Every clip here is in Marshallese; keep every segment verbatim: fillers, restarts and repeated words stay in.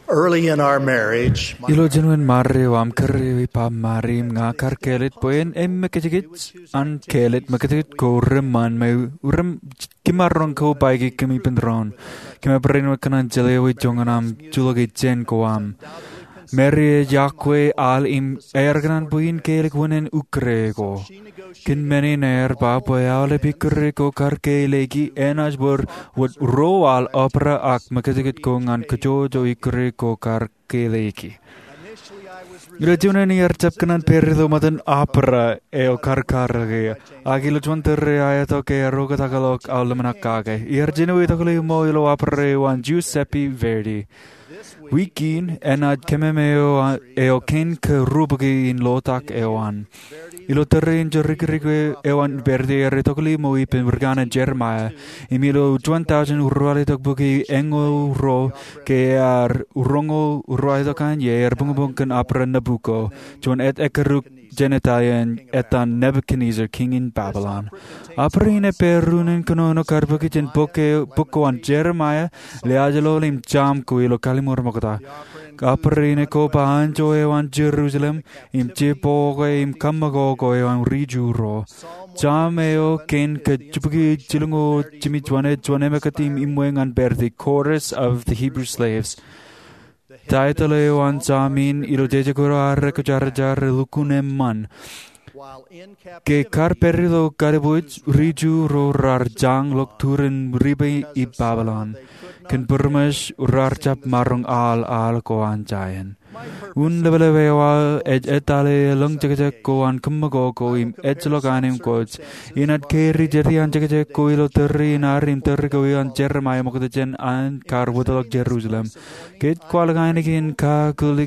Early in our marriage, my Ilo jinoin marriage eo aṃ, kōrā eo ej Bob Marley im ña kar kāālōt bwe en emmekijkij an kāālōt mekijkij ko reṃṃan me rem kimaroñ ko baiki kōm ippān doon. Kōm barāinwōt kōṇaan jeḷā ewi joñan aṃ juḷọk jān ko aṃ. Marley ej yokwe al im ear kōṇaan bwe in kāālōt wūnin ikkure ko. Kōn men in ear ba bwe aolep ikkure ko kar kāālōt ki enaaj wōr wōt ruo al opera ak mekijkij ko ñan kajjojo ikkure ko kar kāālōt ki. Ilo juon in ear jab kōṇaan pād ilo ṃōttan opera eo kar karōke, ak ilo juon tōre aetok ear oktakḷọk aō ḷōmṇak kake. Ear jino itokli ṃool ilo opera eo an Giuseppe Verdi. Wiik in enaaj kememej eo kein ke ruo bōki in lotak eo an. Ilo tōre in jorikirik eo an Verdi ear itokli ṃool ippān rikāān in Jeremiah. Im ilo juon tọujin ruo raeltok bōki eñoul ruo ke ear roñoul ruo raeltok an iiō, ear buñbuñ kōn opera Nabucco, juon etekruk jān Italian, ettan Nebuchadnezzar, kiiñ in Babylon. Opera in ej pād unin kōnono kar bōki jān bok ko an Jeremiah, Liaajlol im Sam ko ilo Kallim̧ur Ṃokta. Opera in ej koba anjọ eo an Jerusalem, im jibboñoul im kaṃṃakoko eo an rijuruo. Sam eo kein ke jibukwi jilñoul jimjuon ej juon emōkūt im iṃwe ñan Verdi, Chorus of the Hebrew Slaves. Title eo an sam in ilo jeje ko ad rekwōjarjar ej Lukkuun Eṃṃan. Ke kar pād ilo kalbuuj, rijuruo raar jañḷọk turin riba ippa Babylon. Kōn būrmōj raar jab maroñ al, al ko an Zion. Un ḷapḷap eo aō ej etale elōñ jekjek ko an kaṃṃakoko im ejjeḷọk anemkwōj. Inaaj kari jete an jekjek ko ilo tōre in ad im tōre ko an Jeremiah ṃokta jān an kar wōtlọk Jerusalem. Ke ej kwaḷọk ainikien kakūl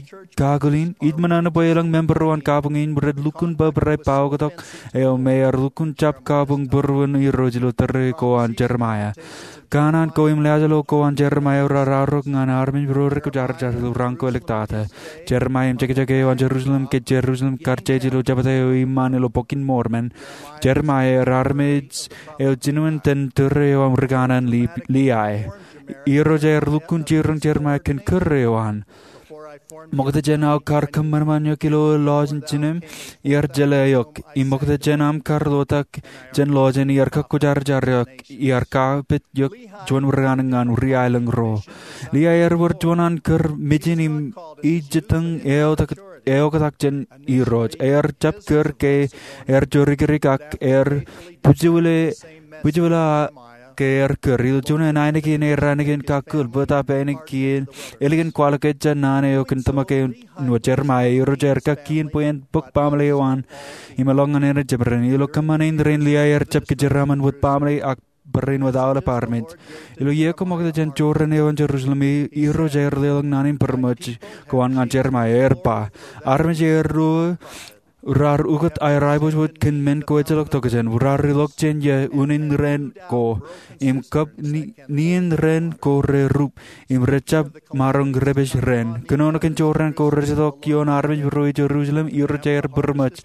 in, ij ṃōṇōṇō bwe elōñ member eo an kabuñ in rej lukkuun bōbrae paoktok eo me ear lukkuun jab kabuñ būruon Irooj ilo tōre ko an Jeremiah. Kōṇaan ko im liaajlol ko an Jeremiah raar arro ñan armej ro rekwōjarjar ilo raṇ ko āliktata. Jeremiah im jekjek eo an Jerusalem ke Jerusalem kar jeje ilo jebta eo iṃaan ilo Bok in Mormon. Jeremiah ear armej eo jinoin tōre eo an rikāān in Lehi. Irooj ear lukkuun jiroñ Jeremiah kōn kūr eo an. Ṃokta jān aō kar kōṃanṃan eok ilo lọjin jinem, iar jeḷā eok. Im ṃokta jān aṃ kar lotak jān lọjin, iar kakwōjarjar eok, iar kapit eok juon rikāān ñan ri-aelōñ ro. Lehi ear wōr juon an kūr mejān im ijjitōñ eoktak jān Irooj. Ear jab kūr ke ear jorikirik ak ear bwijbwila ke ear kūr. Ilo juon ainikien ear ainikien kakūl, bōtab ainikien ālikin kwaḷọk ejja naan eo kōn tōmak eo an Jeremiah, Irooj ear kakkien bwe en bōk baaṃle eo an im eḷọk ñan āne jemād in. Ilo kōṃṃan in raṇ, Lehi ear jab kōjeraaṃṃan wōt baaṃle ak barāinwōt aolep armej. Ilo iiō ko ṃokta jān jorrāān eo an Jerusalem, Irooj ear leḷọk naan in būrmōj ko an ñan Jeremiah, ear ba, armej eo ruo raar ukōt aer aiboojoj kōn men ko ejjeḷọk tokjān. Raar ilọk jān iiō unin raan ko, im kab ni-, nien raan ko rerup, im rej jab maroñ repej raan. Kōnono kōn jorrāān ko rej itok ioon armej ro Jerusalem, Irooj ear būrmōj.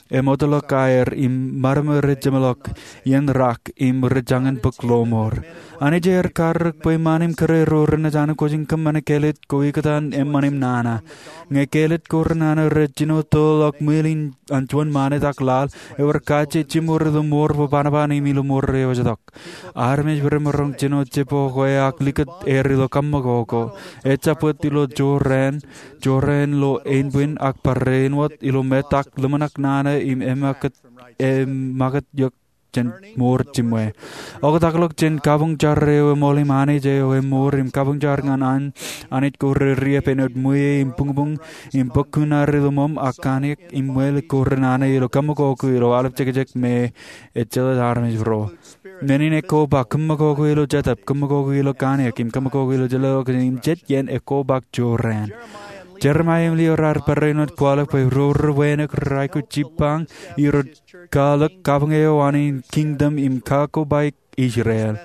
Emootḷọk aer im maroñ rej jeṃḷọk iien rak im rej jañin bōk lọmọọr. Anij ear karōk bwe iṃaan im kōrā ro renaaj anemkwōj in kōṃṃane kāālōt ko ikōtaan eṃṃan im nana. Ñe kāālōt ko renana rej jino toḷọk ṃwiin an juon ṃanit ak laḷ, ewōr kajjien jiṃor ilo mour bōbanaban im ilo mour eo ejjetok. Armej remaroñ jino jibboñoul ak likūt er ilo kaṃṃakoko. Ejjab wōt ilo jorrāān, jorrāān lo ānbwin ak barāinwōt ilo metak ḷōmṇak nana im emakūt, emakūt eok jān mour jiṃwe. Oktakḷọk jān kabuñ jar eo eṃool im Anij eo eṃoor im kabuñ jar ñan an Anij ko reriep āinwōt ṃwiie im buñbuñ im bōk kuṇaad ilo ṃōṃ ak kōnono im ṃweiuk ko renana ilo kaṃṃakoko ilo aolep jekjek me ejjeḷā armej ro. Men in ekkoba kaṃṃakoko ilo jetōb, kaṃṃakoko ilo kōnono im kaṃṃakoko ilo jeḷā eo kōn im jet iien ekkoba jorrāān. Jeremiah im Lehi raar barāinwōt kwaḷọk bwe ro rej wānōk rej aikuj jibbañ Irooj, kwaḷọk kabuñ eo an in kingdom im kakobaik Israel.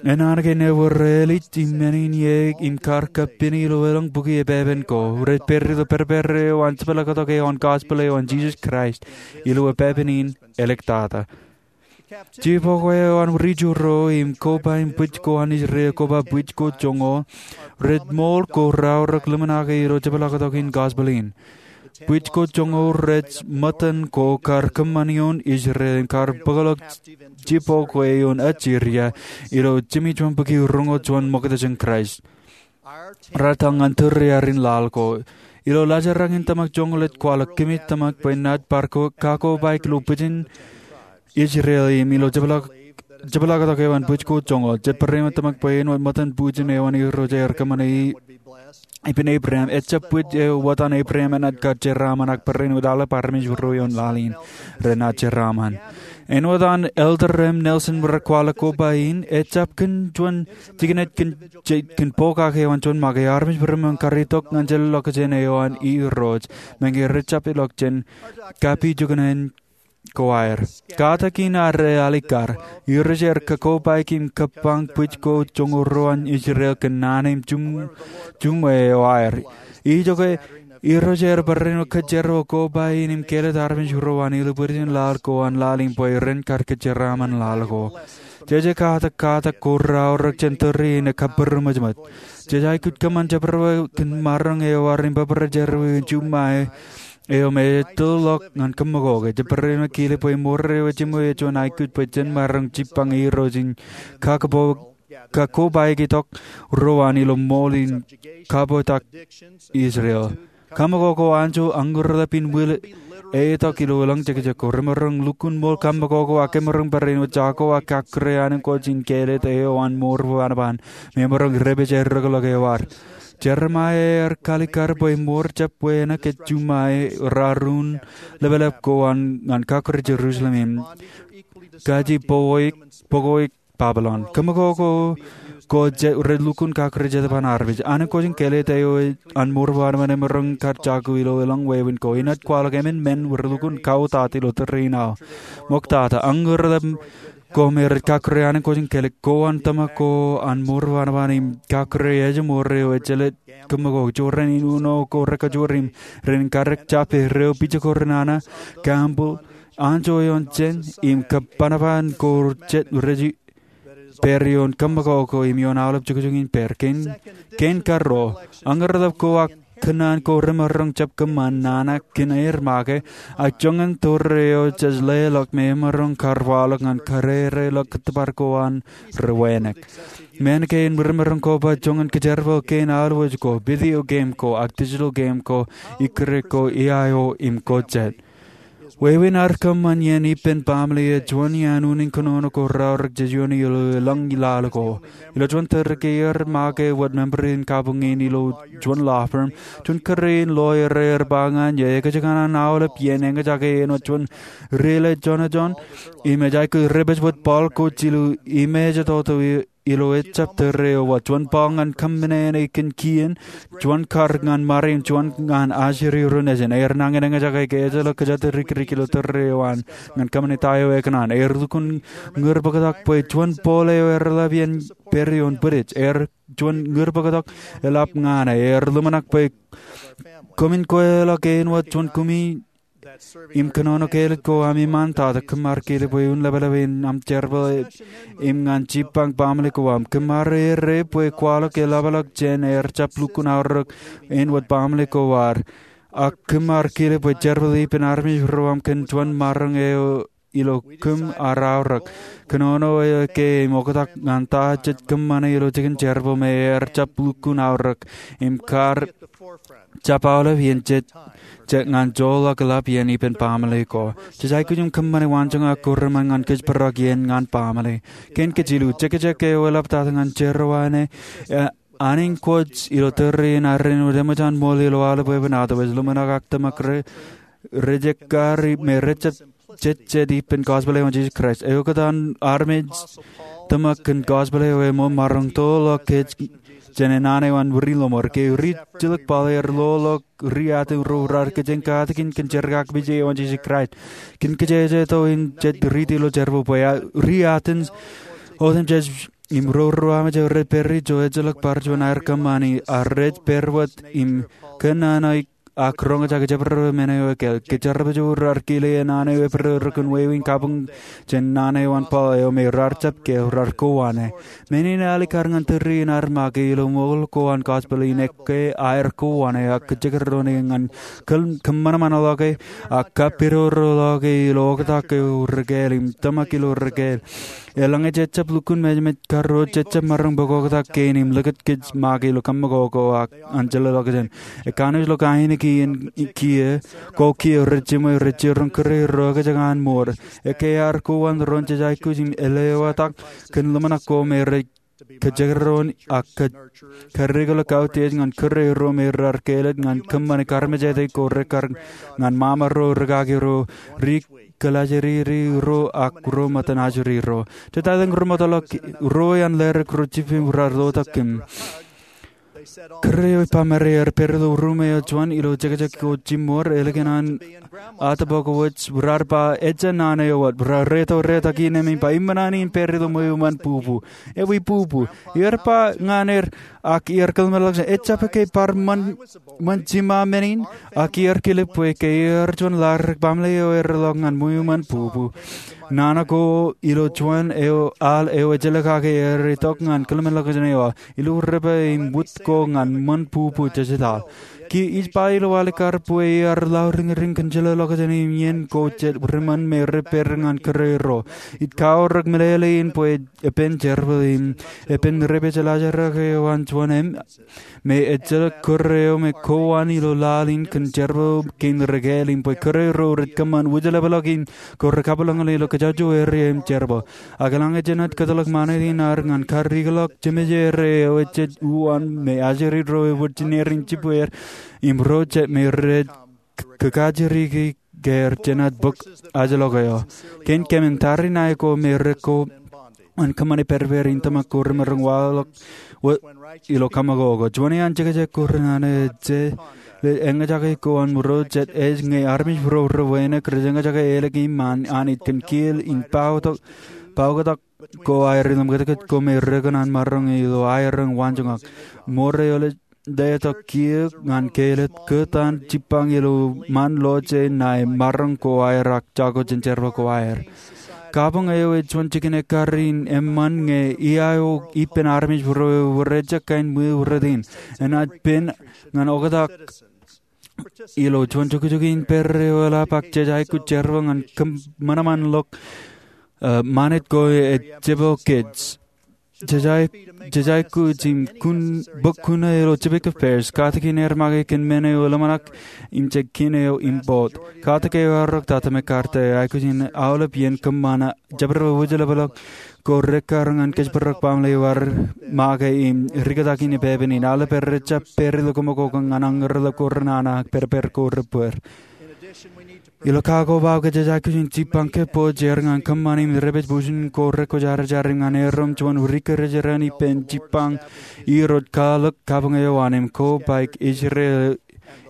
Enañin ewōr ālij im men in iiō im kar kappini ilo elōñ bukwi epepen ko. Rej pād ilo pād eo an jepḷaaktok eo an gospel eo an Jesus Christ ilo epepen in āliktata. Jibboñoul eo an rijuruo im koba im bwij ko an Israel, koba bwij ko joñoul, rej ṃool ko raorōk ḷōmṇake ilo jepḷaaktok in gospel in. Bwij ko joñoul rej ṃōttan ko kar kōṃṃan ioon Israel im kar bōkḷọk jibboñ ko ioon Asiria ilo jimjuon bōki roñoul juon ṃokta jān Kraist. Raar etal ñan tōre arin laḷ ko. Ilo laajrak in tōmak joñoul ej kwaḷọk kōmij tōmak bwe naaj bar kakobaik ilo bwijin Israel im ilo jepḷaaktok eo an bwij ko joñoul. Jet bareinwōt tōmak bwe āinwōt ṃōttan bwijin eo an Irooj ear kōṃṃane ippān Abraham, ejjab bwij eo wōt an Abraham enaaj kar jeraaṃṃan, ak bareinwōt aolep armej ruo ioon laḷ in renaaj jeraaṃṃan. Āinwōt an Elder M. Nelson rej kwaḷọk koba in, ejjab kōn juon jikin ej kōn pokake eo an juon make. Armej ri ṃōn kar itok ñan ejjeḷọkjeṇ eo an Irooj, meñe rej jab ilọk jān kapijuknen ko aer. Katak in ear alikkar. Irooj ear kakobaik im kōbañ bwij ko joñoul ruo an Israel kōn naan im juṃwe eo aer. Ijoke, Irooj ear bareinwōt kōjeraṃṃan koba in im kāālōt armej ruo an ilo bwijin laḷ ko an laḷ in bwe ren kar kōjeraaṃṃan laḷ ko. Jeje katak katak ko raorōk jān tōre in ej kabūroṃōjṃōj. Jej aikuj kōṃṃan jebwebwe kōn maroñ eo aer im bōbrae jerọwiwi in juṃae eo me ej tōlḷọk ñan kōmmokooke. Jet bareinwōt kile bwe ṃour eo ej jiṃwe ej juon aikuj bwe jen maroñ jibbañ Irooj im kakobaik itok ruo an ilo ṃool in kabboktak Israel. Kōmmokoko anjọ añūrḷap in ṃwilaḷ etok ilo elōñ jekjek ko. Remaroñ lukkuun ṃool kōmmokoko ak emaroñ bareinwōt jako ak kakkure ankooj in kāālōt eo an mour bwebwenapan me emaroñ rej pād ilo rōkḷọk eo ad. Jeremaia ear kalikkar bwe ṃour jab wānōk ej juṃae raar un lepḷap ko an ñan kakkure Jerusalem im kaji bōkoik Babilon. Kōmmokoko ko rej lukkuun kakkure jete an armej. Ankooj in kāālōt eo an mour bwebwenapan emaroñ kar jako ilo elōñ wāween ko. Inaaj kwaḷọk emān men rej lukkuun kautiej ilo tōre in aō. Ṃoktata, añūrḷap ko me rej kakkure ankooj in kāālōt ko an tōmak ko an mour bwebwenapan im kakkure ejjeṃoor eo ejjeḷọk kōmmokoko. Jorrāān in uno ko rekajoor im ren karōk jabdewōt ro, pijeko renana, gambling, anjọ ioon jān im kōpānpān ko jet rej pād ioon kōmmokoko im ioon aolep jukjuk in pād. Kein, kein karuo, añūrḷap ko ak kōnnaan ko remaroñ jab kōṃṃan nana kōn aer make, ak joñan tōre eo jej leḷọk me emaroñ kar waḷọk ñan karereḷọk kōttōpar ko an rej wānōk. Men kein remaroñ koba joñan kōjerbal kein auwōj ko, video game ko, ak digital game ko, ikkure ko, iaaio im ko jet. Wāween ad kōṃṃan iien ippān baaṃle ej juon iaan unin kōnono ko raorōk jej iooni ilo elōñ laḷ ko. Ilo juon tōre ke iar make wōt member in kabuñ in ilo juon law firm, juon kōrā in lawyer ear ba ñan eō, ekōjkan an aolep iien eñjake āinwōt juon rilejonejon im ej aikuj rej pād wōt baḷ ko jilu im ej toto ilo ejjab tōre eo wōt, juon baḷ ñan kōmminene kōn kien, juon kar ñan ṃare im juon ñan ajri ro nejin. Ear nañin eñjake ke ejjeḷọk kōjatdikdik ilo tōre eo an ñan kōṃṃane ta eo ekōṇaan. Ear lukkuun ñūrbōktok bwe juon pole eo ear ḷap iien pād ioon bwidej. Ear juon ñūrbōktok eḷap ñan e. Ear ḷōmṇak bwe koṃwin kweilọk āinwōt juon kumi im kōnono kāālōt ko ami ṃaantata. Kōm ar kile bwe un lepḷap in aṃ jerbal im ñan jibbañ baaṃle ko aṃ. Kōm ar errā bwe kwaḷọk eḷapḷọk jān ear jab lukkuun aorōk āinwōt baaṃle ko ad. Ak kōm ar kile bwe jerbal ippān armej ro aṃ kōn juon maroñ eo ilo kōm ar aorōk. Kōnono eo ke im oktak ñan ta jej kōṃṃane ilo jikin jerbal me ear jab lukkuun aorōk im kar jab aolep iien jet, jet ñan joḷọk eḷap iien ippān baaṃle ko. Jej aikuj im kōṃṃane waanjoñak ko reṃṃan ñan kōjparok iien ñan baaṃle. Kein kajilu, jekjek eo eḷaptata ñan jerọwiwi ṇe, e, anij kwōj ilo tōre in arrin wōt eṃōj an ṃool ilo aolep wāween ad, ej ḷōmṇak ak tōmak rej, rej ekkar me rej jab jejjet ippān gospel eo an Jisōs Kraist. Eoktak an armej tōmak kōn gospel eo eṃṃan maroñ toḷọk kōj jān naan eo an wūrin lọmọọr. Ke ri Jilkinpaḷ ear loḷọk ri Aten ro raar kōjeañ katakin kōn jerkakpeje eo an Jisōs Kraist. Kōn kōjejjeto in jet riiti ilo jerbal bwe ri Aten otemjej im ro ri Roman rej pād ijo ejjeḷọk bar juon aer kōṃṃani, ak rej pād wōt im kōnnaan aō ak roñjake jabdewōt men eo ekāāl. Ke jerbal eo raar kile e naan eo ebreer kōn wāween kabuñ jān naan eo an Paul eo me raar jab keel, raar kowaan e. Men in alikkar ñan tōre in ad make ilo ṃool ko an gospel in, ekkā aer kowaan e ak kōjekdọọn e ñan kōm-, kōṃanṃanḷọk e ak kapidodoḷọk e ilo oktak eo rekāāl im tōmak ilo rekāāl. Eḷaññe jej jab lukkuun mejeṃej karuo, jej jab maroñ bōk oktak kein im likūt kōj make ilo kaṃṃoolol ko an jellọkjeṇ. Ekkā ṇe ej lo kain kiiō, kiiō, ko kiiō rej jiṃwe, rej jiroñ kūrerro ekōjkan mour. Ekkā aer kowaan doon jej aikuj im lewōj tok kōn ḷōmṇak ko me rej kōjekdọọn ak kōj, kōrreikḷọk kautiej ñan kūrerro me raar kāālōt ñan kōṃṃane karmejāte ko rekkar ñan ṃaṃaro, rūkaki ro, ri kōlaajriri ro ak ro ṃōttan ajri ro. Jetateṇ ri ṃōttan ḷọk ro iaan ḷerik ro jippaṃ raar lotak kōm. Kūr eo ej ba bwe er pād ilo ruṃwij eo juon ilo jekjek ko jiṃṃoor, ālikin an atōpar ko wōj, raar ba, ejja naan eo wōt. Raar reto retak iien im ba, iṃōṇōṇō in pād ilo ṃweo iṃaan bubu. Ewi bubu? Iar ba ñan er, ak iar kōḷmānḷọkjeṇ, ejjab ke bar ṃōn, ṃōn jiṃa men in? Ak iar kilep bwe ke iar juon ḷadik baaṃle eo ear ḷọk ñan ṃweo iṃaan bubu. Nana ko ilo juon eo, al eo ejjeḷọk kake ear itok ñan kōḷmānḷọkjeṇ eo aō, ilo rūpā im wūt ko ñan ṃōn bubu jejetaḷ. Kiiō ij ba ilo alikkar bwe iar lọriñriñ kōn jeḷāḷọkjeṇ im iien ko jet riṃōn me rej pād ñan kūrerro. Ij kaorōk meḷeḷein bwe epen jerbal im epen rej pād jeḷā jerak eo an juon im me ejjeḷọk kūr eo me kowaan ilo laḷ in kōn jerbal kein rekāāl im bwe kūrerro rej kōṃṃan wūjlepḷọk in ko rekabwilōñlōñ ilo kōjatdikdik eo im jerbal. Ak eḷaññe jenaaj kōtḷọk ṃanit in ad ñan karreoḷọk jemejeer eo ejjab uwaan me ajri ro ewōr jineer in jibwe im ro jet me rej kōkaajriki ke er jenaaj bōk ajlọk eo. Kein kōmin tariṇae ko me rej ko an kōṃṃane pād ippān in tōmak ko remaroñ waḷọk ilo kaṃṃoolol ko. Juon iaan jekjek ko renana ej eñjake ko an ro jet ej ñe armej ro rej wānōk rej eñjake ālikin ṃaan Anij kōn kiil in paotak, paoktak ko aer ilo ṃōkajkōt ko me rej kōṇaan maroñ ilo aer waanjoñak. Ṃoor eo ḷe letok kiiō ñan kāālōt kōtaan jippañ ilo ṃaan lọje ṇae maroñ ko aer ak jako jān jerbal ko aer. Kabuñ eo ej juon jikin ekkar in eṃṃan ñe ia eo ippān armej ro ewōr ejjab kain ṃweo rot in. Enaaj pen ñan oktak ilo juon jukjuk in pād eo eḷap ak jej aikuj jerbal ñan kōṃanṃanḷọk, eh, ṃanit ko ej jepel kōj. Jej aikuj im kun, bōk kuṇaō ilo Chesapeake Affairs, katakin aer make kōn men eo eḷōmṇak im jej kine eo im boat. Katak eo ear ro Tata McCarter, aikuj in aolep iien kōṃṃan jabdewōt wūjlepḷọk ko rekkar ñan kōjparok baaṃle eo ear make im rikaki in epepen in. Aolep er rej jab pād ilo koṃ ak koṃ ñan aññūrḷọk ko renana ak pād ippān ko rej bōd. Ilo kakobaik, jej aikuj in jippañ kōpooj er ñan kōṃṃan im rej pād bujen ko rekwōjarjar im ñan erom juon ri-kōjatdikdik ippān jippañ irooj kwaḷọk kabuñ eo an im kobaik Israel,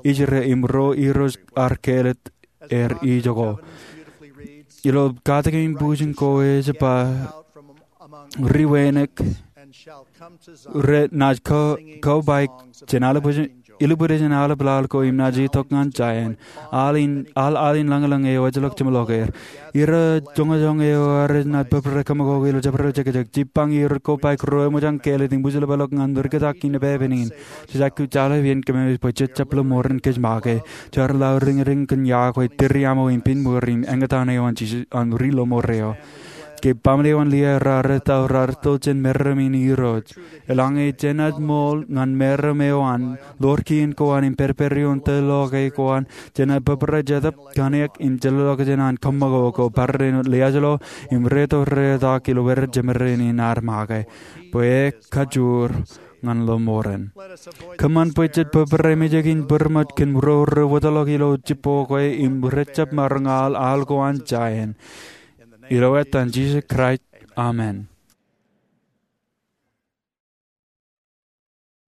Israel im ro irooj ar kāālōt er ijoko. Ilo katakin bujen ko ej ba, ri wānōk renaaj ko, kobaik jān alubwij, ilubwidej in aolep laḷ ko im naaj itok ñan Zion, al in, al, al in lañlōñ eo ejjeḷọk jeṃḷọk er. Ira joñojoñ eo aer naaj bōbrae kōṃakoko ilo jabdewōt jekjek. Jippañ irooj kobaik ro eṃōj an kāālōt im wūjlepḷọk ñan rikaki in epepen in. Jej aikuj aolep iien kōmij bwe jej jab lo ṃoren kōj make. Jar lọriñriñ kōn yokwe, tūriaṃo im piṃṃur im eñtaan eo an Jisōs an ri-lọmọọr eo. Ke baaṃle eo an Liai raar etto, raar etto jān meram in Irooj. Eḷaññe jenaaj ṃool ñan meram eo an, ḷoor kien ko an im pād ippān ioon tōl ḷọke ko an, jenaaj bōbrae Jetōb, kōnke in jeḷāḷọkjeṇ an kōṃakoko, barāinwōt liaajlo im reto retak ilo wōr jemān in ad make. Bwe kajoor ñan lọmọọren. Kōṃṃan bwe jet bōbrae mejān in bōrmōj kōn ro rej wōtlọk ilo jibboñ kwe im rej jab maroñ al, al ko an Zion. Ilo etan Jisōs Kraist, amen.